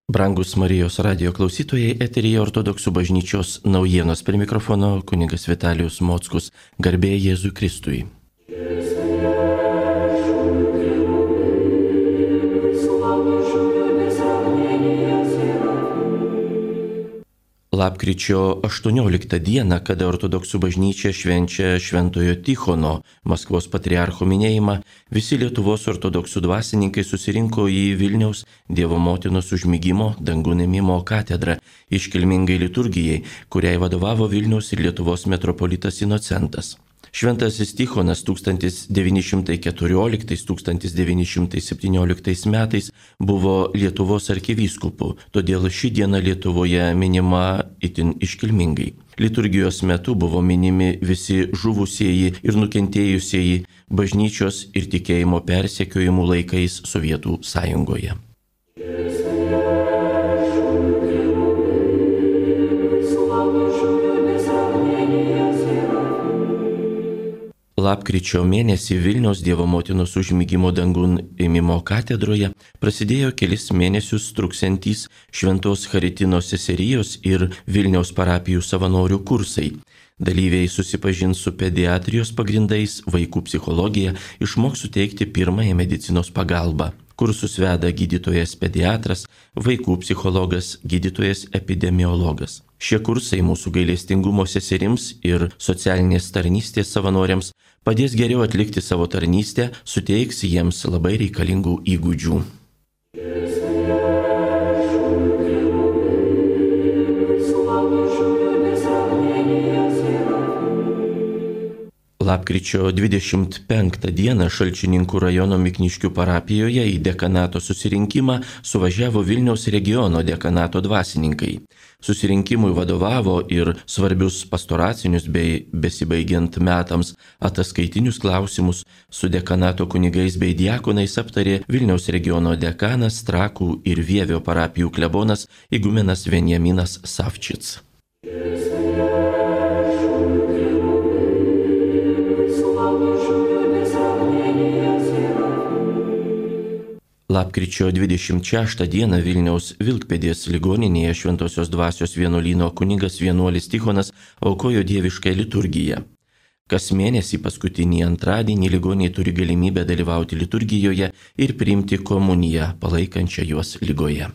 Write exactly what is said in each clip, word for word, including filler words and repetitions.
Brangus Marijos radijo klausytojai, eteryje Ortodoksų bažnyčios naujienos, prie mikrofono kunigas Vitalijus Mockus. Garbė Jėzui Kristui. Lapkričio aštuonioliktą dieną, kada Ortodoksų bažnyčia švenčia Šventojo Tichono, Maskvos patriarcho minėjimą, visi Lietuvos ortodoksų dvasininkai susirinko į Vilniaus Dievo motinos užmigimo dangun ėmimo katedrą iškilmingai liturgijai, kuriai vadovavo Vilniaus ir Lietuvos metropolitas Inocentas. Šventasis Tichonas tūkstantis devyni šimtai keturioliktais - tūkstantis devyni šimtai septynioliktais metais buvo Lietuvos arkivyskupu, todėl ši diena Lietuvoje minima itin iškilmingai. Liturgijos metu buvo minimi visi žuvusieji ir nukentėjusieji bažnyčios ir tikėjimo persekiojimų laikais Sovietų Sąjungoje. Lapkričio mėnesį Vilniaus Dievo motinos užmigimo dangun ėmimo katedroje prasidėjo kelis mėnesius truksiantys Šventos Charitinos seserijos ir Vilniaus parapijų savanorių kursai. Dalyviai susipažins su pediatrijos pagrindais, vaikų psichologija, išmoks suteikti pirmąją medicinos pagalbą. Kursus veda gydytojas pediatras, vaikų psichologas, gydytojas epidemiologas. Šie kursai mūsų gailestingumo seserims ir socialinės tarnystės savanoriams padės geriau atlikti savo tarnystę, suteiks jiems labai reikalingų įgūdžių. Lapkričio dvidešimt penktą dieną Šalčininkų rajono Mikniškių parapijoje į dekanato susirinkimą suvažiavo Vilniaus regiono dekanato dvasininkai. Susirinkimui vadovavo ir svarbius pastoracinius bei besibaigiant metams ataskaitinius klausimus su dekanato kunigais bei diakonais aptarė Vilniaus regiono dekanas, Trakų ir Vievio parapijų klebonas igumenas Venjaminas Savčits. Lapkričio dvidešimt šeštą dieną Vilniaus Vilkpėdės ligoninėje Šventosios dvasios vienuolyno kunigas vienuolis Tichonas aukojo dievišką liturgiją. Kas mėnesį paskutinį antradienį ligoniai turi galimybę dalyvauti liturgijoje ir priimti komuniją, palaikančią juos ligoje.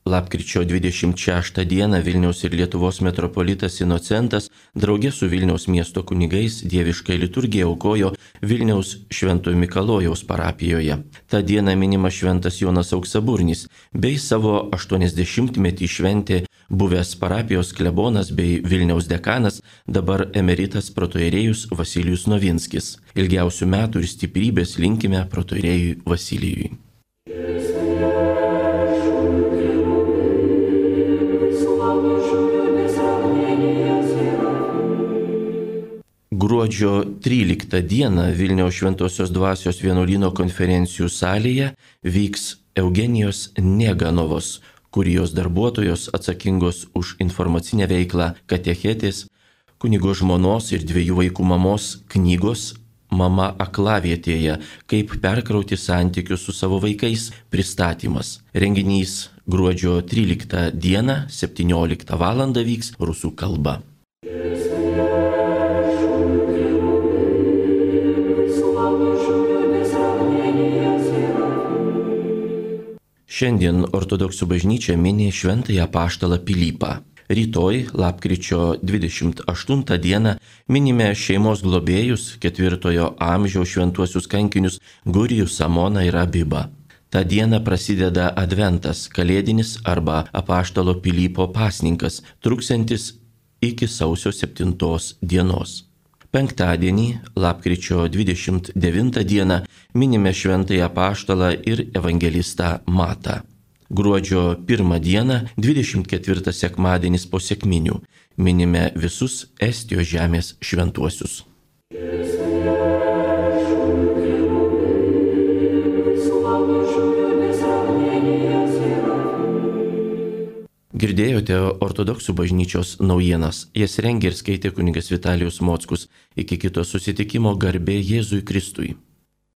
Lapkričio dvidešimt šeštą dieną Vilniaus ir Lietuvos metropolitas Inocentas draugė su Vilniaus miesto kunigais dievišką liturgiją aukojo Vilniaus Šventojo Mikalojaus parapijoje. Ta diena minima šventas Jonas Auksaburnis, bei savo aštuoniasdešimtmetį šventė buvęs parapijos klebonas bei Vilniaus dekanas, dabar emeritas protoierėjus Vasilijus Novinskis. Ilgiausių metų ir stiprybės linkime protoierėjui Vasilijui. Gruodžio tryliktą dieną Vilniaus Šventosios dvasios vienuolyno konferencijų salėje vyks Eugenijos Neganovos, kurijos darbuotojos atsakingos už informacinę veiklą katechetės, kunigo žmonos ir dviejų vaikų mamos knygos Mama aklavietėje, kaip perkrauti santykius su savo vaikais pristatymas. Renginys gruodžio tryliktą dieną septynioliktą valandą vyks rusų kalba. Šiandien ortodoksų bažnyčia mini šventąjį apaštalą Pilypą. Rytoj, lapkričio dvidešimt aštuntą dieną, minime šeimos globėjus ketvirtojo amžiaus šventuosius kankinius Gurijų, Samoną ir Abibą. Ta diena prasideda adventas, kalėdinis arba apaštalo Pilypo pasninkas, truksiantis iki sausio septintos dienos. Penktadienį, lapkričio dvidešimt devintą dieną, minime šventąjį apaštalą ir evangelistą Matą. Gruodžio pirmą dieną, dvidešimt ketvirtą sekmadienis po sekminių, minime visus Estijos žemės šventuosius. Girdėjote ortodoksų bažnyčios naujienas. Jas rengė ir skaitė kunigas Vitalijus Mockus. Iki kito susitikimo, garbė Jėzui Kristui.